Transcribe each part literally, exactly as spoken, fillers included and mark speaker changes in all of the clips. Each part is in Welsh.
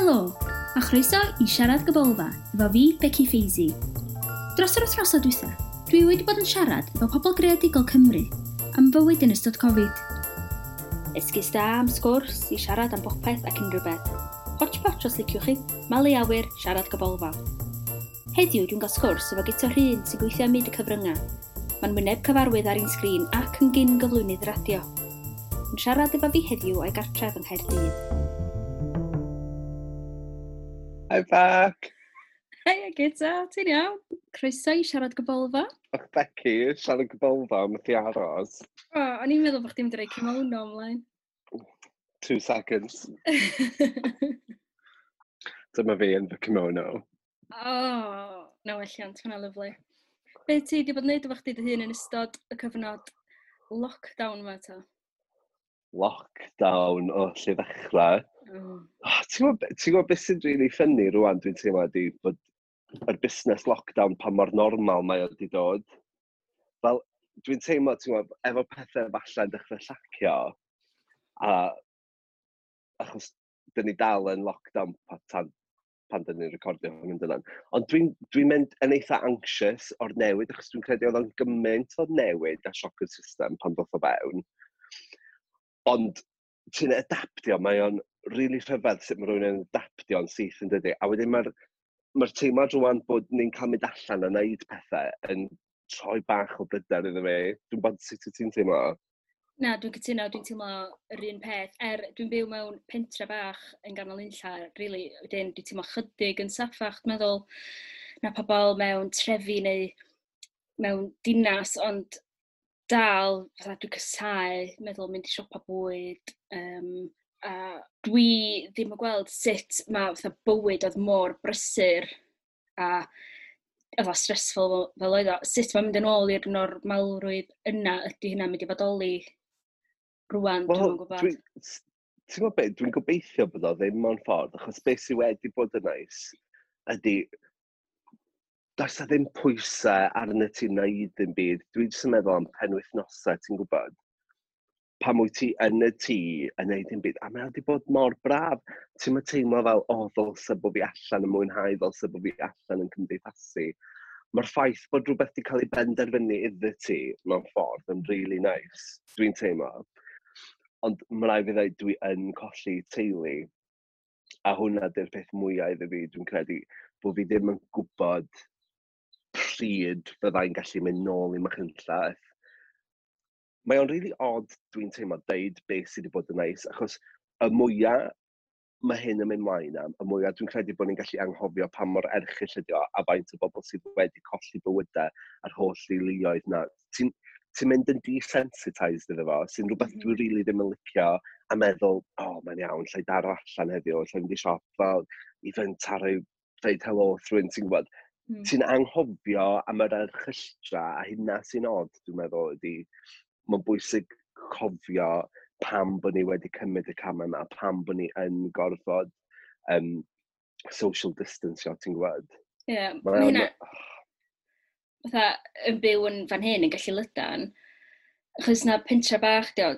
Speaker 1: Helo, a chroeso i Siarad Gybolfa efo fi, Becky Feisy. Dros yr wythnosau dwytha, dwi wedi bod yn siarad efo pobl greadigol Cymru am fywyd yn ystod Covid. Esgus da am sgwrs i siarad am bopeth ac unrhyw beth. Hotchpotch os liciwch chi, malu awyr, Siarad Gybolfa. Heddiw dwi'n cael sgwrs efo Guto Rhun sy'n gweithio ym myd y cyfryngau. Mae'n wyneb cyfarwydd ar ein sgrin ac yn gyn gyflwynydd radio. Yn siarad efo fi heddiw o'i gartref yng Nghaerdydd.
Speaker 2: Hi Bec!
Speaker 1: Hei Guto, ti'n iawn? Croeso i Siarad Gybolfa.
Speaker 2: Och Becky, Siarad Gybolfa, methu aros.
Speaker 1: O, o'n i'n meddwl bod chdi'n mynd i roi kimono ymlaen.
Speaker 2: Two seconds. Dyma fi yn fy kimono.
Speaker 1: O, oh, na welliant, hwnna lyfli. Be ti wedi bod yn neud efo chdi dy hun yn ystod y cyfnod lockdown yma ta?
Speaker 2: Lockdown, o, lle ddechrau.
Speaker 1: Oh.
Speaker 2: Oh, ti'n gwybod ti'n gwybod beth sy'n really funny rwan, dwi'n teimlo ydi bod yr busnes lockdown pa mor normal mae o wedi dod. Fel, dwi'n teimlo, ti'n gwybod, efo pethau falle'n dechrau llacio, a achos dyn ni dal yn lockdown pa, tan, pan dyn ni'n recordio hwn yn dydan. Ond dwi'n dwi mynd yn eitha anxious o'r newid, achos dwi'n credu oedd o'n gymaint o newid a sioc i'r system pan ddoth o fewn. Ond ti'n adaptio, mae o'n really rhyfedd sut mae rhywun yn adaptio'n syth yn dydi. A wedyn mae'r mae'r teimlad rwan bod ni'n cael mynd allan a wneud pethau yn troi bach o bryder iddo fi. Dwi'n bod sut wyt ti'n teimlo?
Speaker 1: Na, dwi'n cytuno, dwi'n teimlo yr un peth. Er, dwi'n byw mewn pentre bach yn ganol unlla, really, wedyn dwi'n teimlo chydig yn saffach, dwi'n meddwl, na pobl mewn trefi neu mewn dinas, ond dal, fatha dwi'n casáu meddwl mynd i siopa bwyd, um, a dwi ddim yn gweld sut mae fatha bywyd oedd mor brysur a efo stressful fel, fel oedd o, sut mae'n mynd yn ôl i'r normalrwydd yna, ydy hynna'n mynd i fodoli rwan,
Speaker 2: Wel,
Speaker 1: dwi'm yn gwybod.
Speaker 2: Dwi'n, ti'n gwybod beth, dwi'n gobeithio bod o ddim mewn ffordd, achos beth sydd wedi bod yn neis ydy, does na ddim pwysau arno ti wneud ddim byd. Dwi'n jyst yn meddwl am penwythnosau, ti'n gwybod? Pan wyt ti yn y tŷ yn neud dim byd, a mae wedi bod mor braf. Ti'n mynd teimlo fel, o, oh, ddylse bod fi allan yn mwynhau, ddylse bod fi allan yn cymdeithasu. Mae'r ffaith bod rhywbeth wedi cael ei benderfynu iddo ti mewn ffordd yn really nice, dwi'n teimlo. Ond mae rhaid fi ddweud, dwi yn colli teulu. A hwnna di'r peth mwyaf iddo fi, dwi'n credu, bod fi ddim yn gwybod pryd fyddai'n gallu mynd nôl i Machynlleth. Mae o'n really odd, dwi'n teimlo, deud beth sydd wedi bod yn neis, achos y mwyaf mae hyn yn mynd mlaen am, y mwyaf dwi'n credu bod ni'n gallu anghofio pa mor erchyll ydi o, a faint o bobl sydd wedi colli bywydau a'r holl deuluoedd na. Ti'n ti mynd yn desensitised iddo fo, sy'n rhywbeth
Speaker 1: Mhm.
Speaker 2: dwi really ddim yn licio, a meddwl, o, oh, mae'n iawn, lle i daro allan heddiw, lle i fynd i siop, fel, i fynd taro i ddeud helo wrth rhywun, ti'n gwybod.
Speaker 1: Mm.
Speaker 2: Ti'n anghofio am yr erchylltra, a hynna sy'n od, dwi'n meddwl, ydy, mae'n bwysig cofio pam bod ni wedi cymryd y camau yma, pam bod ni yn gorfod um, social distancio, ti'n gwybod?
Speaker 1: Ie,
Speaker 2: Mae
Speaker 1: mae
Speaker 2: o'n-
Speaker 1: hynna, fatha, yn byw yn fan hyn yn gallu lydan, achos na pentre bach, dio,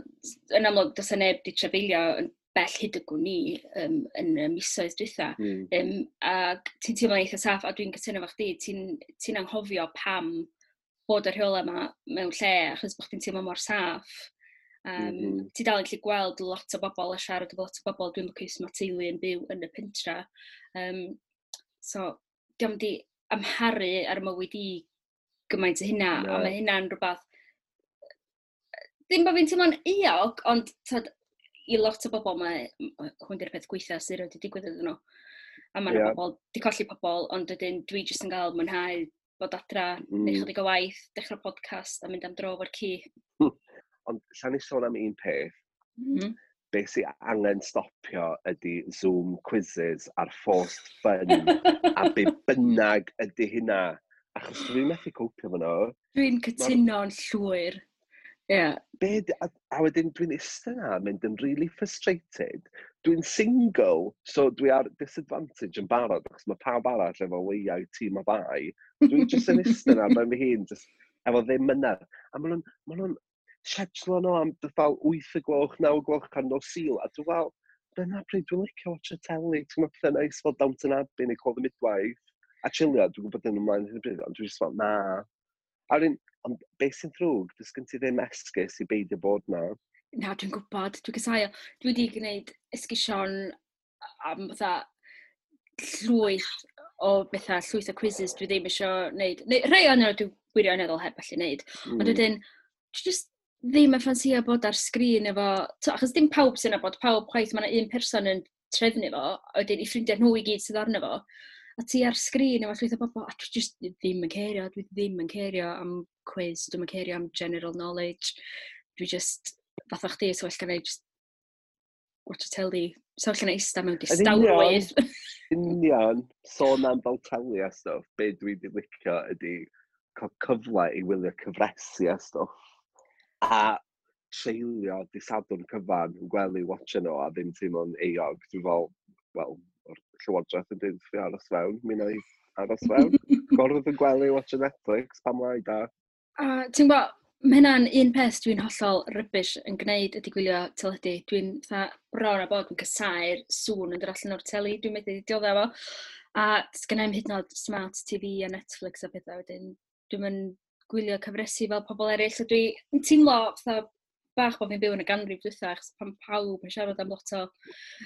Speaker 1: yn amlwg, does 'na neb di trafeilio yn bell hyd y gwn i um, yn y misoedd dwytha.
Speaker 2: Mm.
Speaker 1: Um, ac ti'n teimlo'n eitha saff, a dwi'n cytuno efo chdi, ti'n ti anghofio pam bod y rheola yma mewn lle, achos bod chdi'n teimlo mor saff. Um, mm
Speaker 2: Mhm.
Speaker 1: -hmm. Ti dal yn gallu gweld lot o bobl a siarad efo lot o bobl. Dwi'n lwcus mae teulu yn byw yn y pentra. Um, so, diolch di amharu ar mywyd i gymaint o hynna,
Speaker 2: Na.
Speaker 1: a mae hynna'n rhywbeth... Ddim bod fi'n teimlo'n euog, ond tyd, i lot o bobl mae hwn di'r peth gweitha sydd wedi digwydd iddyn nhw. A mae yna
Speaker 2: Ie.
Speaker 1: bobl, di colli pobl, ond wedyn dwi jyst yn cael mwynhau bod adra, mm. neu
Speaker 2: Mm.
Speaker 1: chydig o waith, dechrau podcast a mynd am dro efo'r ci.
Speaker 2: Ond llawn i sôn am un peth,
Speaker 1: Mm -hmm.
Speaker 2: beth sy'n angen stopio ydy Zoom quizzes a'r forced fun a be bynnag ydy hynna. Achos dwi'n methu copio fo nhw.
Speaker 1: Dwi'n cytuno'n llwyr. Ie. Yeah.
Speaker 2: Be, di- a, a wedyn dwi'n eistedd na yn mynd yn really frustrated. Dwi'n single, so dwi ar disadvantage yn barod, achos mae pawb arall efo leiau tîm o ddau. Dwi'n just yn eistedd na ben fy hun, just efo ddim mynedd. A maen nhw'n ma nhw'n schedule nhw am fel wyth y gloch, naw y gloch ar nos Sul, a dwi'n fel, dyna pryd dwi'n licio watch y teli. Ti'n gwybod pethau neis fel Downton Abbey neu Call the Midwife. A chilio, dwi'n gwybod yn ymlaen hyn o bryd, ond dwi'n just fel, na. A wedyn, ond beth sy'n ddrwg, does gen ti ddim esgus i beidio bod na.
Speaker 1: Na, dwi'n gwybod, dwi'n casáu o. Dwi wedi gwneud esgusion am fatha llwyth o bethau, llwyth o quizzes dwi ddim eisiau gwneud. Neu rhai o'n nhw dwi wirioneddol heb allu gwneud. Mm. Ond wedyn, dwi just ddim yn ffansio bod ar sgrin efo... To, achos dim pawb sy'n nabod pawb chwaith, mae yna un person yn trefnu fo, a wedyn i ffrindiau nhw i gyd sydd arno fo. A ti ar sgrin efo llwyth o bobl, a dwi just ddim yn cerio, dwi ddim yn cerio am quiz, dwi'n yn cerio am general knowledge. Dwi just, fatha chdi, so well gan i just watch y teli. So well gan i eista mewn distawrwydd.
Speaker 2: Union, sôn am fel teli a stwff, be dwi wedi licio ydy cael cyfle i wylio cyfresi a stwff. A treulio dydd Sadwrn cyfan yn gwely watcha nhw a ddim teimlo'n euog. Dwi'n fel, wel, o'r llywodraeth yn dweud fi aros fewn, mi wna i aros fewn. Gorfod yn gwely watcha Netflix, pam lai da.
Speaker 1: A ti'n gwybod, mae hynna'n un peth dwi'n hollol rubbish yn gwneud ydy gwylio teledu. Dwi'n fatha bron a bod yn casáu'r sŵn yn dod allan o'r teli. Dwi'n methu dioddef fo. A sgynna i'm hyd yn oed smart T V a Netflix a pethau wedyn. Dwi'n mynd gwylio cyfresi fel pobl eraill. So dwi'n teimlo fatha bach bod fi'n byw yn y ganrif dwytha, achos pan pawb yn siarad am lot o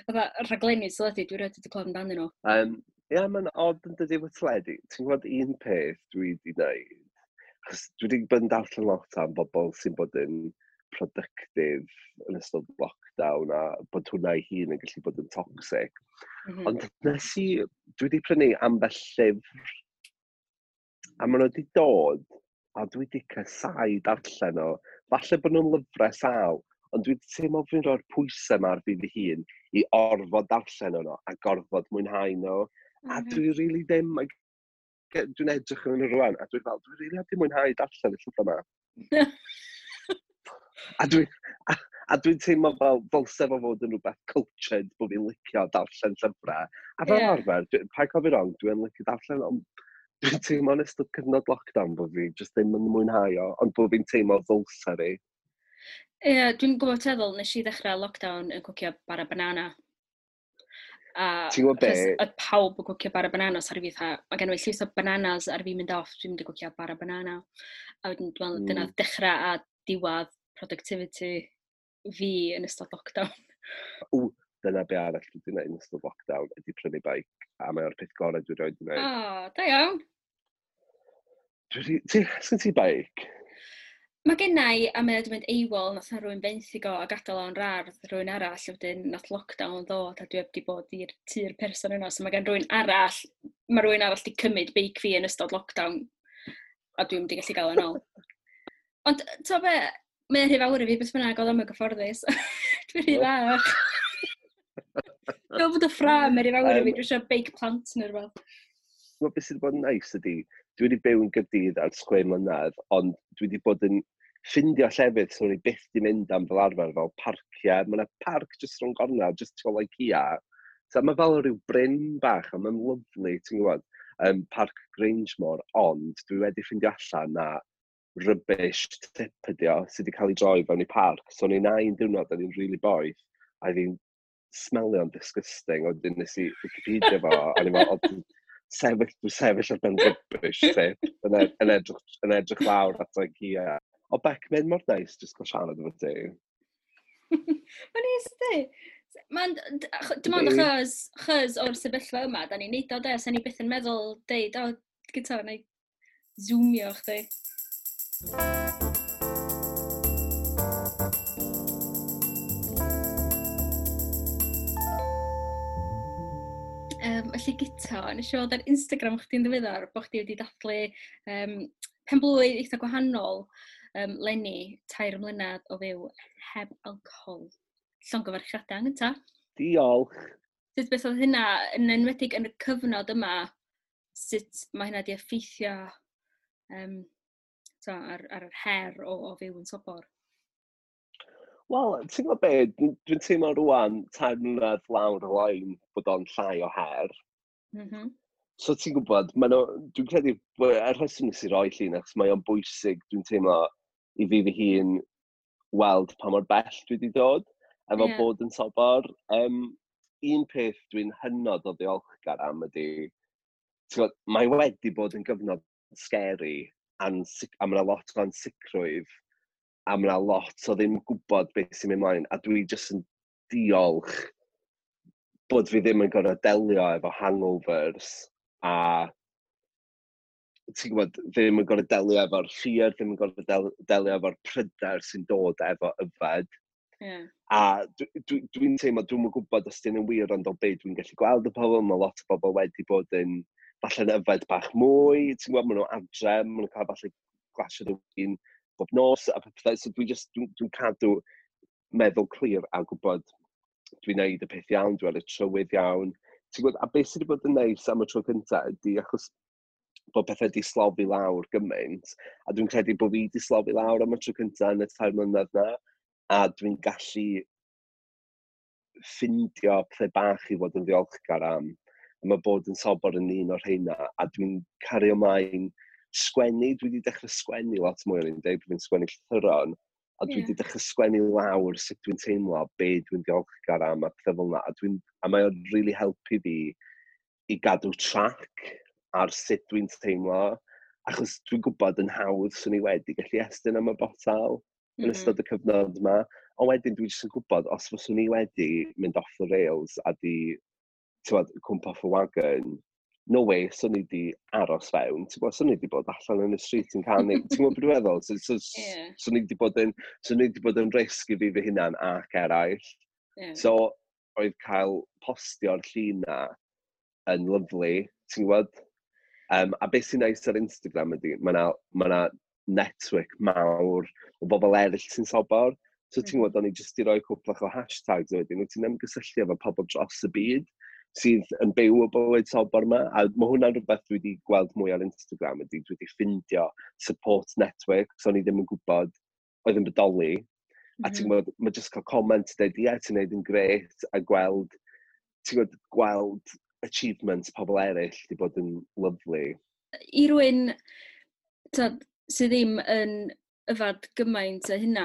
Speaker 1: fatha rhaglenni teledu, dwi erioed wedi clywed amdanyn nhw.
Speaker 2: Um, Ia, yeah, mae'n odd yn dydi efo teledu. Ti'n gwybod un peth dwi wedi gwneud? Achos dwi wedi bod yn darllen lot am bobl sy'n bod yn productive yn ystod lockdown a bod hwnna ei hun yn gallu bod yn toxic.
Speaker 1: Mm -hmm.
Speaker 2: Ond nes i, dwi wedi prynu ambell llyfr a maen nhw wedi dod a dwi wedi casáu darllen o. Falle bod nhw'n lyfrau sâl, ond dwi wedi teimlo fi'n rhoi'r pwysau yma ar fi fy hun i orfod darllen nhw a gorfod mwynhau nhw. A dwi really ddim, dwi'n edrych yn nhw rwan, a dwi'n fel, dwi really heb di mwynhau darllen y llyfr yma. A dwi'n a, a dwi'n teimlo fel ddylse fo fod yn rhywbeth cultured bod fi'n licio darllen llyfrau. A fel
Speaker 1: yeah.
Speaker 2: arfer, dwi, paid cael fi wrong, dwi'n licio darllen, ond dwi'n teimlo yn ystod cyfnod lockdown bod fi jyst ddim yn mwynhau o, ond bod fi'n teimlo ddylse fi.
Speaker 1: Ie, yeah, dwi'n gwybod teddol, nes i ddechrau lockdown yn cwcio bara banana. A
Speaker 2: ti'n gwybod be?
Speaker 1: Oedd pawb yn cwcio bara banana, so ar fi fatha, mae gen i llwyth o bananas ar fi mynd off, dwi'n mynd i cwcio bara banana. A wedyn, dwi'n meddwl,
Speaker 2: mm.
Speaker 1: dyna dechrau a diwedd productivity fi yn ystod lockdown.
Speaker 2: Ww, dyna be arall dwi wedi gwneud yn ystod lockdown, ydy prynu bike, a mae o'r peth gorau dwi erioed wedi gwneud.
Speaker 1: O, da iawn.
Speaker 2: Dwi ti, sgyn ti bike?
Speaker 1: Mae gennai, a mae wedi mynd AWOL, nath na rhywun benthyg o a gadael o'n rar rhywun arall, wedyn nath lockdown ddod a dwi heb di bod i'r tŷ'r person yna, so mae gen rhywun arall, mae rhywun arall di cymryd beic fi yn ystod lockdown, a dwi'n mynd i gallu gael yn ôl. Ond, to be, mae'n rhy fawr i fi, beth bynnag, oedd o'm yn gyfforddus. Dwi'n rhy fach. Dwi'n bod y ffram yn rhy fawr i fi, dwi eisiau beic plant neu rhywbeth.
Speaker 2: Wel, beth sydd wedi bod yn neis ydy, dwi wedi byw yn Gaerdydd ers chwe mlynedd, ond dwi wedi bod yn ffindio llefydd sy'n i byth di mynd am fel arfer, fel parciau. Mae yna parc jyst rhwng gornel, jyst tu ôl IKEA. So mae fel rhyw bryn bach, a mae'n lyfli, ti'n gwybod, um, Parc Grangemore, ond dwi wedi ffindio allan na rubbish tip ydi o, sydd wedi cael ei droi fewn i parc. So o'n i'n un diwrnod, o'n i'n really boeth, a oedd hi'n smelio'n disgusting, a wedyn nes i Wikipedia fo, a o'n i'n fel, sefyll, dwi'n sefyll ar ben rubbish tip, yn, ed, yn, edrych, yn edrych lawr at IKEA. O Bec, mae'n mor neis jyst cael siarad efo ti.
Speaker 1: Mae'n neis ydi. Mae'n, dim ond achos, achos o'r sefyllfa yma, da ni'n neud o de, sa'n ni byth yn meddwl deud, o, gyda, na i zoomio chdi. Um, felly Guto, nes i weld ar Instagram chdi'n ddiweddar bod chdi wedi dathlu um, pen-blwydd eitha gwahanol um, leni, tair mlynedd o fyw heb alcohol. Llongyfarchiadau yn gynta.
Speaker 2: Diolch.
Speaker 1: Sut beth oedd hynna, yn enwedig yn y cyfnod yma, sut mae hynna wedi effeithio um, so, ar, ar yr her o, o fyw yn sobor?
Speaker 2: Wel, ti'n gwybod be, dwi'n dwi teimlo rwan tair mlynedd lawr y lein bod o'n llai o her.
Speaker 1: Mm -hmm.
Speaker 2: So ti'n gwybod, dwi'n credu, er rheswm nes i roi llun, achos mae o'n bwysig, dwi'n teimlo i fi fy hun weld pa mor bell dwi wedi dod, efo
Speaker 1: yeah.
Speaker 2: bod yn sobor. Um, Un peth dwi'n hynod o ddiolchgar am ydy, ti'n gwbod, mae wedi bod yn gyfnod scary, ansic- a mae yna lot o ansicrwydd, a mae yna lot o ddim gwybod beth sy'n mynd mlaen, a dwi jyst yn diolch bod fi ddim yn gorfod delio efo hangovers, a ti'n gwybod, ddim yn gorfod delio efo'r fear, ddim yn gorfod del delio efo'r pryder sy'n dod efo yfed.
Speaker 1: Yeah.
Speaker 2: A dwi'n dwi, dwi teimlo, dwi'm yn gwybod os dyn yn wir, ond o be dwi'n gallu gweld y pobl, mae lot o bobl wedi bod yn falle'n yfed bach mwy, ti'n gwybod, maen nhw adre, maen nhw'n cael falle glasiad o win bob nos, a pethau, so dwi'n just, dwi'n dwi cadw meddwl clir a gwybod dwi'n neud y peth iawn, dwi ar y trywydd iawn. Ti'n gwybod, a beth sydd wedi bod yn neis am y tro cyntaf ydy achos bod pethau wedi slofi lawr gymaint, a dwi'n credu bod fi wedi slofi lawr am y tro cyntaf yn y tair mlynedd na, a dwi'n gallu ffindio pethau bach i fod yn ddiolchgar am. A mae bod yn sobor yn un o'r rheina, a dwi'n cario ymlaen sgwennu, dwi wedi dechrau sgwennu lot mwy, o'n i'n dweud bod fi'n sgwennu llythyron, a dwi wedi
Speaker 1: Ie.
Speaker 2: dechrau sgwennu lawr sut dwi'n teimlo, be dwi'n ddiolchgar am a pethau fel yna, a, dwi'n, a mae o'n really helpu fi i gadw track ar sut dwi'n teimlo, achos dwi'n gwybod yn hawdd swn i wedi gallu estyn am y botel yn
Speaker 1: Mm -hmm.
Speaker 2: ystod y cyfnod yma. Ond wedyn dwi jyst yn gwybod, os fyswn i wedi mynd off the rails a di, ti'n cwmpo off y wagon, no way, swn i di aros fewn. Ti'n gwybod, swn i di bod allan yn y street yn canu. Ti'n gwybod beth dwi'n meddwl? So, so,
Speaker 1: Ie.
Speaker 2: Swn i di bod yn, swn i di bod yn risg i fi fy hunan ac eraill.
Speaker 1: Ie.
Speaker 2: So, oedd cael postio'r llun na yn lyfli, ti'n gwybod? Um, a beth sy'n neis ar Instagram ydy, mae yna ma 'na network mawr o bobl eraill sy'n sobor. So ti'n
Speaker 1: Mhm.
Speaker 2: gwybod, o'n i jyst i roi cwplach o hashtags wedyn, wyt ti'n ymgysylltu efo pobl dros y byd sydd yn byw y bywyd sobor yma. A mae hwnna'n rhywbeth dwi wedi gweld mwy ar Instagram ydy, dwi wedi ffindio support network, so o'n i ddim yn gwybod oedd yn bodoli. A ti'n
Speaker 1: Mhm.
Speaker 2: gwybod, mae jyst cael comment dweud, "Ie, ti'n neud yn grêt," a gweld, ti'n gwybod, gweld achievements pobl eraill wedi bod yn lyfli.
Speaker 1: I rywun, t'od, sydd ddim yn yfad gymaint o hynna,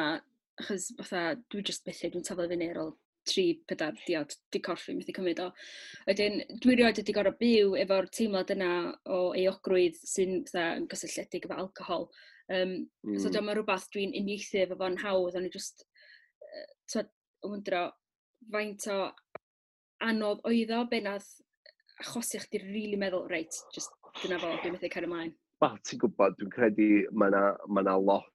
Speaker 1: achos fatha, dwi jyst methu, dwi'n taflu fyny ar ôl tri, pedair diod, di corff fi methu cymryd o. Wedyn, dwi rioed wedi gorfod byw efo'r teimlad yna o euogrwydd sy'n fatha yn gysylltiedig efo alcohol. Um, mm. So
Speaker 2: Mm.
Speaker 1: dyma rhywbeth dwi'n uniaethu efo fo'n hawdd, o'n i just, uh, t'od, yn wyndro faint o anodd oedd o, be nath achosi chdi rili really meddwl, "Reit, just dyna fo, dwi'n methu cario ymlaen"?
Speaker 2: Wel, ti'n gwybod, dwi'n credu mae yna ma 'na lot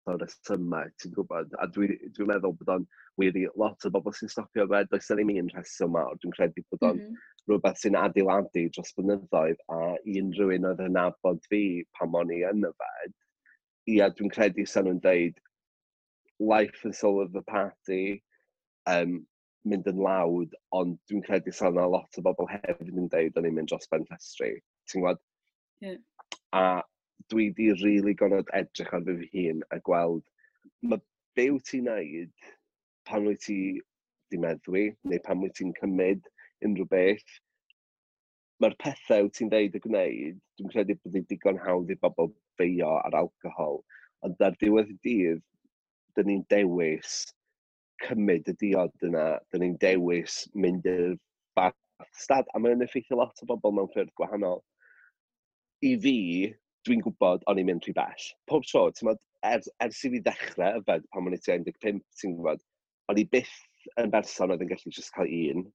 Speaker 2: o resymau, ti'n gwybod, a dwi'n dwi meddwl bod o'n wir i lot o bobl sy'n stopio yfed, does 'na ddim un rheswm mawr, dwi'n credu bod o'n
Speaker 1: Mm -hmm.
Speaker 2: rhywbeth sy'n adeiladu dros blynyddoedd, a i unrhyw un oedd yn nabod fi pan o'n i yn yfed, ia, dwi'n credu sa'n nhw'n deud life and soul of the party, um, mynd yn loud, ond dwi'n credu sa'n yna lot o bobl hefyd yn deud o'n i'n mynd dros ben llestri, ti'n gwybod?
Speaker 1: Ie.
Speaker 2: A dwi di really gorfod edrych ar fy hun a gweld, mae be wyt ti'n neud pan wyt ti di meddwi, neu pan wyt ti'n cymryd unrhyw beth, mae'r pethau wyt ti'n dweud a gwneud, dwi'n credu bod hi'n digon hawdd i bobl feio ar alcohol, ond ar diwedd y dydd, dyn ni'n dewis cymryd y diod yna, dyn ni'n dewis mynd i'r fath stad, a mae'n effeithio lot o bobl mewn ffyrdd gwahanol. I fi, dwi'n gwybod o'n i'n mynd rhy bell. Pob tro, ti'n gwbod, ers, ers i fi ddechrau yfed pan o'n i tua un deg pump, ti'n gwybod, o'n i byth yn berson oedd yn gallu just cael un.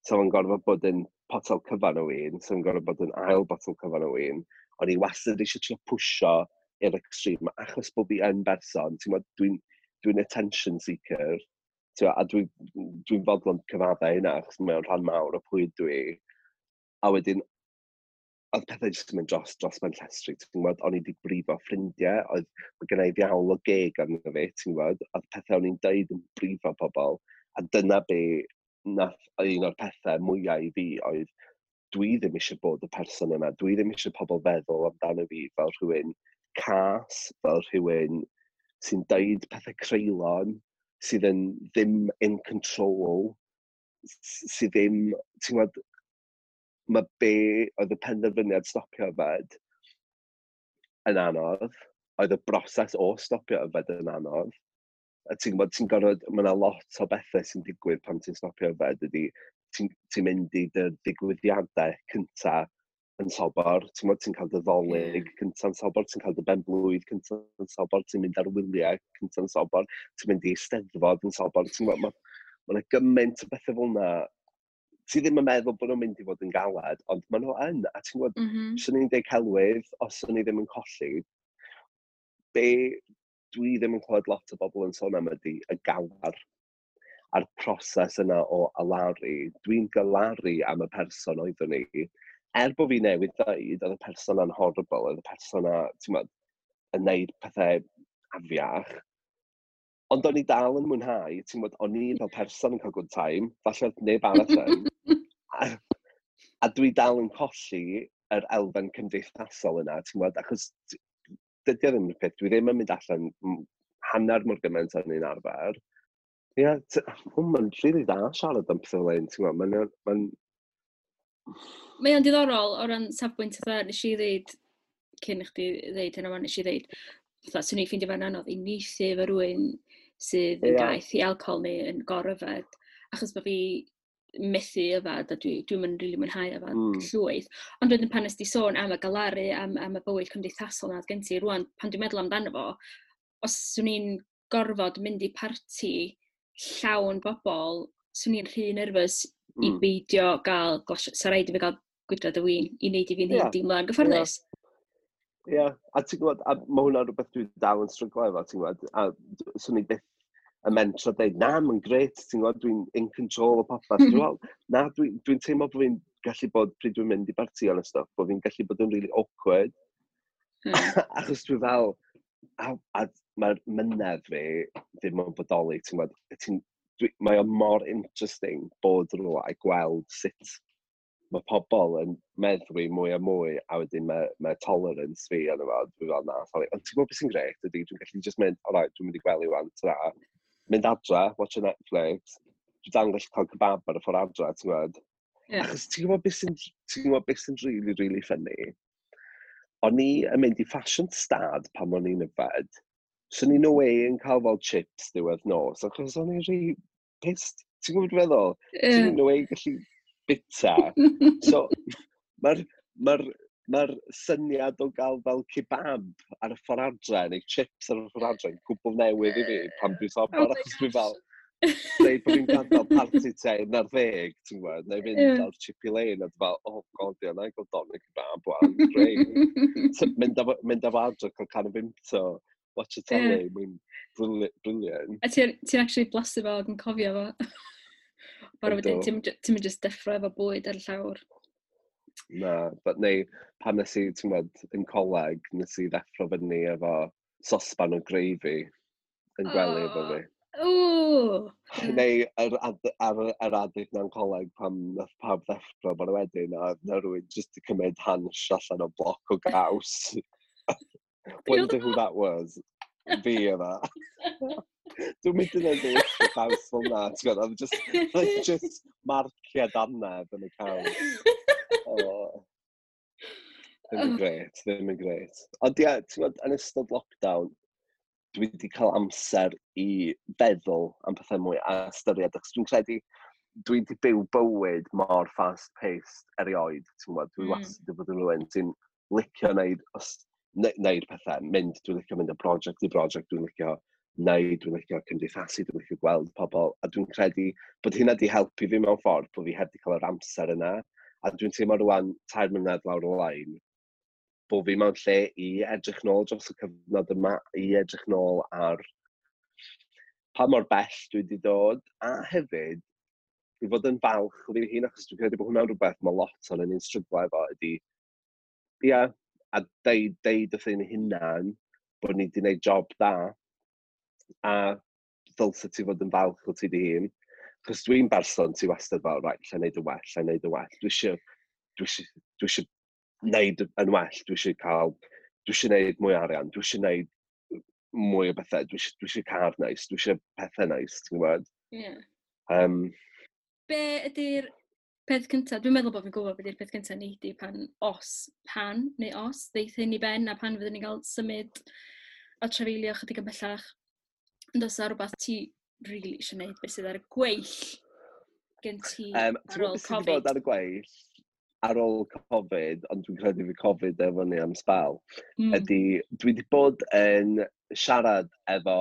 Speaker 2: So o'n gorfod bod yn potel cyfan o win, so o'n gorfod bod yn ail botel cyfan o win. O'n i wastad eisiau trio pwsio i'r extreme, achos bod fi yn berson, ti'n gwybod, dwi'n dwi attention seeker, ti'n gwbod, a dwi'n dwi fodlon cyfadde hynna, achos mae'n rhan mawr o pwy dwi. A wedyn, oedd pethau jyst yn mynd dros, dros ben llestri, ti'n gwybod, o'n i wedi brifo ffrindiau, oedd mae gen i ddiawl o geg arno fi, ti'n gwybod, oedd pethau o'n i'n deud yn brifo pobl, a dyna be nath un o'r pethau mwyaf i fi oedd dwi ddim eisiau bod y person yna, dwi ddim eisiau pobl feddwl amdano fi fel rhywun cas, fel rhywun sy'n deud pethau creulon, sydd yn ddim in control, s- sydd ddim, ti'n gwybod, mae be oedd y penderfyniad stopio yfed yn anodd, oedd y broses o stopio yfed yn anodd. A ti'n gwybod, ti'n gorfod, mae yna lot o bethau sy'n digwydd pan ti'n stopio yfed, ydy Ti'n ti mynd i dy ddigwyddiadau cynta yn sobor, ti'n gwbod, ti'n cael dy Ddolig
Speaker 1: Ie.
Speaker 2: cynta yn sobor, ti'n cael dy ben-blwydd cynta yn sobor, ti'n mynd ar wyliau cynta yn sobor, ti'n mynd i Eisteddfod yn sobor, ti'n gwbod, mae ma 'na gymaint o bethau fel 'na. Ti ddim yn meddwl bod nhw'n mynd i fod yn galed, ond maen nhw yn, a ti'n gwbod,
Speaker 1: Mm -hmm.
Speaker 2: swn i'n deud celwydd os o'n i ddim yn colli. Be dwi ddim yn clywed lot o bobl yn sôn am ydy y galar a'r proses yna o alaru. Dwi'n galaru am y person oeddwn i. Er bod fi newydd dweud, oedd y person 'na'n horrible, oedd y person 'na, ti'n gwbod, yn neud pethau afiach. Ond o'n i dal yn mwynhau, ti'n gwbod, o'n i fel person yn cael good time, falle oedd neb arall yn. A, a dwi dal yn colli yr elfen cymdeithasol yna, ti'n gwbod, achos t- dydy o ddim yn peth, dwi ddim yn mynd allan m- hanner mor gymaint o'n i'n arfer. Ie, yeah, mae'n rili dda siarad am pethau fel hyn, ti'n gwbod, mae'n... mae'n
Speaker 1: Mae o'n diddorol o ran safbwynt fatha, nes i ddeud, cyn i chdi ddeud hynna, nes i ddeud, fatha, swn i'n ffeindio fe'n anodd i uniaethu efo rhywun sydd yn
Speaker 2: Ie.
Speaker 1: gaeth i alcohol neu yn goryfed, achos bod fi methu yfad a dwi, dwi'n mynd rili mwynhau yfad
Speaker 2: Mm.
Speaker 1: llwyth. Ond wedyn pan nes di sôn am y galaru, am, am y bywyd cymdeithasol na oedd gen ti, rwan, pan dwi'n meddwl amdano fo, os swn i'n gorfod mynd i parti llawn bobl, swn i'n rhy nervous i
Speaker 2: Mm.
Speaker 1: beidio gael glas, sa rhaid i fi gael gwydred o win i wneud i fi'n
Speaker 2: Ie.
Speaker 1: hun deimlo'n gyfforddus.
Speaker 2: Ie, yeah. A ti'n gwybod, a mae hwnna'n rhywbeth dwi dal yn stryglo efo, ti'n gwybod, a d- swn i byth yn mentro dweud, "Na, mae'n grêt, ti'n gwybod, dwi'n in control o popeth." Dwi'n fel, na, dwi'n dwi teimlo bod fi'n gallu bod, pryd dwi'n mynd i bartïon a stuff, bod fi'n gallu bod yn really awkward.
Speaker 1: Mm.
Speaker 2: Achos dwi fel, a, a mae'r mynedd fi ddim yn bodoli, ti'n gwybod, ti'n, dwi, mae o mor interesting bod rhywle a gweld sut mae pobl yn meddwi mwy a mwy, a wedyn mae, mae tolerance fi yn efo, dwi fel, "Na, sorry." Ond ti'n gwybod beth sy'n grêt ydy, dwi'n gallu just mynd, "Alright, dwi'n mynd i gwely wan, ta." Mynd adra, watch a Netflix, dwi'n dal yn gallu cael kebab ar y ffordd adra, ti'n gwybod.
Speaker 1: Ie.
Speaker 2: Achos ti'n gwybod beth sy'n ti'n gwybod beth sy'n really, really funny? O'n i yn mynd i fashion stad pan o'n i'n yfed. So ni no way yn cael fel chips diwedd nos, achos o'n i'n rhy pissed. Ti'n gwybod beth dwi'n feddwl?
Speaker 1: Ie.
Speaker 2: Ti'n no way gallu bita. So, mae'r ma ma syniad o gael fel kebab ar y ffordd adre, neu chips ar y ffordd adre, yn gwbl newydd i fi pan dwi'n sobor,
Speaker 1: Oh my
Speaker 2: achos dwi'n fel,
Speaker 1: gosh.
Speaker 2: dweud bod fi'n gadael party tua un ar ddeg, ti'n gwybod, neu fynd
Speaker 1: Ie.
Speaker 2: lawr Chippy Lane, a dwi'n fel, "Oh God, ie, na i gael doner kebab, wan, great." So, mynd â fo- mynd â fo adre, cael can o Vimto, watch y telly, mae'n brilliant. brilliant.
Speaker 1: A ti'n ti actually blasu fo ac yn cofio fo. Bara wedyn,
Speaker 2: Yndw.
Speaker 1: ti'n ti'n mynd just deffro efo bwyd ar y llawr.
Speaker 2: Na, but neu, pan nes i, ti'n gwybod, yn coleg, nes i ddeffro fyny efo sosban o gravy yn gwely efo
Speaker 1: Oh.
Speaker 2: fi.
Speaker 1: Ww! Ie.
Speaker 2: Neu yr, ad, ar yr adeg na'n coleg pan nath pawb ddeffro bore wedyn a na rhywun jyst i cymryd hansh allan o bloc o gaws. Wonder who that was. Fi yma. Dwi'n mynd i wneud y caws fel na, ti'n gwybod, oedd just, oedd just marciau dannedd yn y caws. Oh. Ddim yn grêt, ddim yn grêt. Ond ie, ti'n gwybod, yn ystod lockdown, dwi wedi cael amser i feddwl am pethau mwy a ystyried, achos dwi'n credu dwi wedi byw bywyd mor fast-paced erioed, ti'n gwybod, dwi
Speaker 1: Mm.
Speaker 2: wastad wedi bod yn rhywun sy'n licio wneud, os, ne, neud pethau, mynd, dwi'n licio mynd o brosiect i brosiect, dwi'n licio wneud, dwi'n licio cymdeithasu, dwi'n licio gweld pobl, a dwi'n credu bod hynna wedi helpu fi mewn ffordd, bod fi heb wedi cael yr amser yna, a dwi'n teimlo rwan tair mlynedd lawr y lein, bod fi mewn lle i edrych nôl dros y cyfnod yma, i edrych nôl ar pa mor bell dwi wedi dod, a hefyd i fod yn falch o fi hun, achos dwi'n credu bod hwnna'n rhywbeth mae lot o'n ni'n stryglo efo, ydy, ia, a deud, deud wrth ein hunan bod ni wedi gwneud job da, a ddylse ti fod yn falch o ti dy hun. Achos dwi'n berson ti wastad fel, "Right, lle wneud yn well, lle wneud yn well. Dwi eisiau, dwi eisiau, dwi eisiau wneud yn well, dwi eisiau cael, dwi eisiau wneud mwy o arian, dwi eisiau wneud mwy o bethau, dwi eisiau, dwi eisiau car neis, dwi eisiau pethau neis," ti'n gwybod?
Speaker 1: Ie.
Speaker 2: Um,
Speaker 1: Be ydy'r peth cyntaf? Dwi'n meddwl bod fi'n gwybod beth ydy'r peth cyntaf nei di pan os, pan neu os ddeith hyn i ben a pan fyddwn ni'n cael symud a trafeilio chydig yn bellach. Ond os yna rhywbeth ti really eisiau gwneud, beth sydd ar y gweill gen ti
Speaker 2: um,
Speaker 1: ar ôl
Speaker 2: Covid? Ti'n bod ar y gweill ar ôl Covid, ond dwi'n credu fi Covid efo ni am sbel, mm. ydy dwi wedi bod yn siarad efo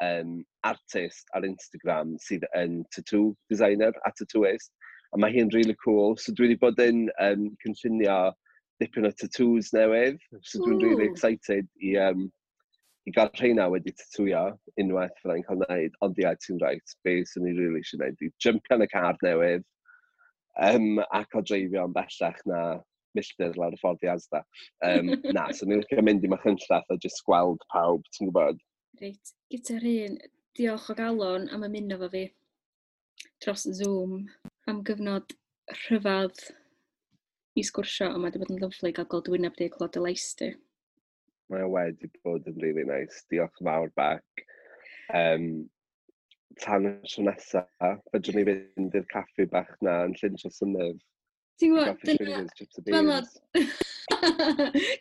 Speaker 2: um, artist ar Instagram sydd yn tattoo designer a tattooist, a mae hi'n really cool. So dwi wedi bod yn um, cynllunio dipyn o tattoos newydd, so dwi'n really excited i, um, i gael rheina wedi tatwio unwaith fyddai'n cael gwneud, ond ia, ti'n right, be swn i really eisiau gwneud, i jumpio yn y car newydd, um, ac o dreifio yn bellach na milltir lawr y ffordd i Asda. Um, na, so ni'n licio mynd i Machynlleth a just gweld pawb, ti'n gwybod?
Speaker 1: Reit, gyda'r un, diolch o galon am ymuno fo fi dros Zoom am gyfnod rhyfedd i sgwrsio, ond mae wedi bod yn lyfli gael gweld wyneb di a clywed dy lais di.
Speaker 2: Mae o wedi bod yn really nice. Diolch yn fawr, Bec. Um, tan y tro nesa, fedrwn ni fynd i'r caffi bach na yn Llyn Trawsfynydd.
Speaker 1: Ti'n gwybod, dyna...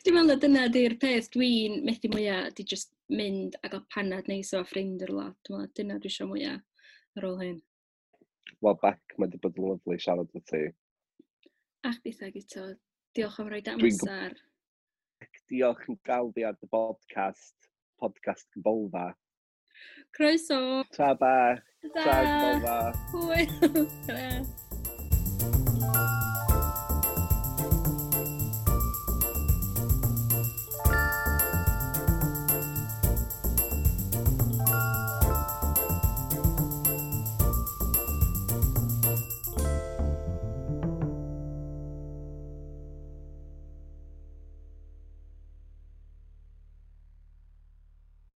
Speaker 1: Dwi'n meddwl na dyna di'r peth dwi'n methu mwyaf, di just mynd a gael panad neis o ffrind yr wlad. Dwi'n meddwl dyna dwi eisiau mwyaf ar ôl hyn.
Speaker 2: Wel, Bec, mae wedi bod yn lyfli siarad efo ti.
Speaker 1: A chditha, Guto. Diolch am roi amser.
Speaker 2: Diolch yn gael fi ar dy podcast, podcast Gybolfa.
Speaker 1: Croeso.
Speaker 2: Ta, Bec. Ta, Gybolfa.
Speaker 1: Hwyl. Ta.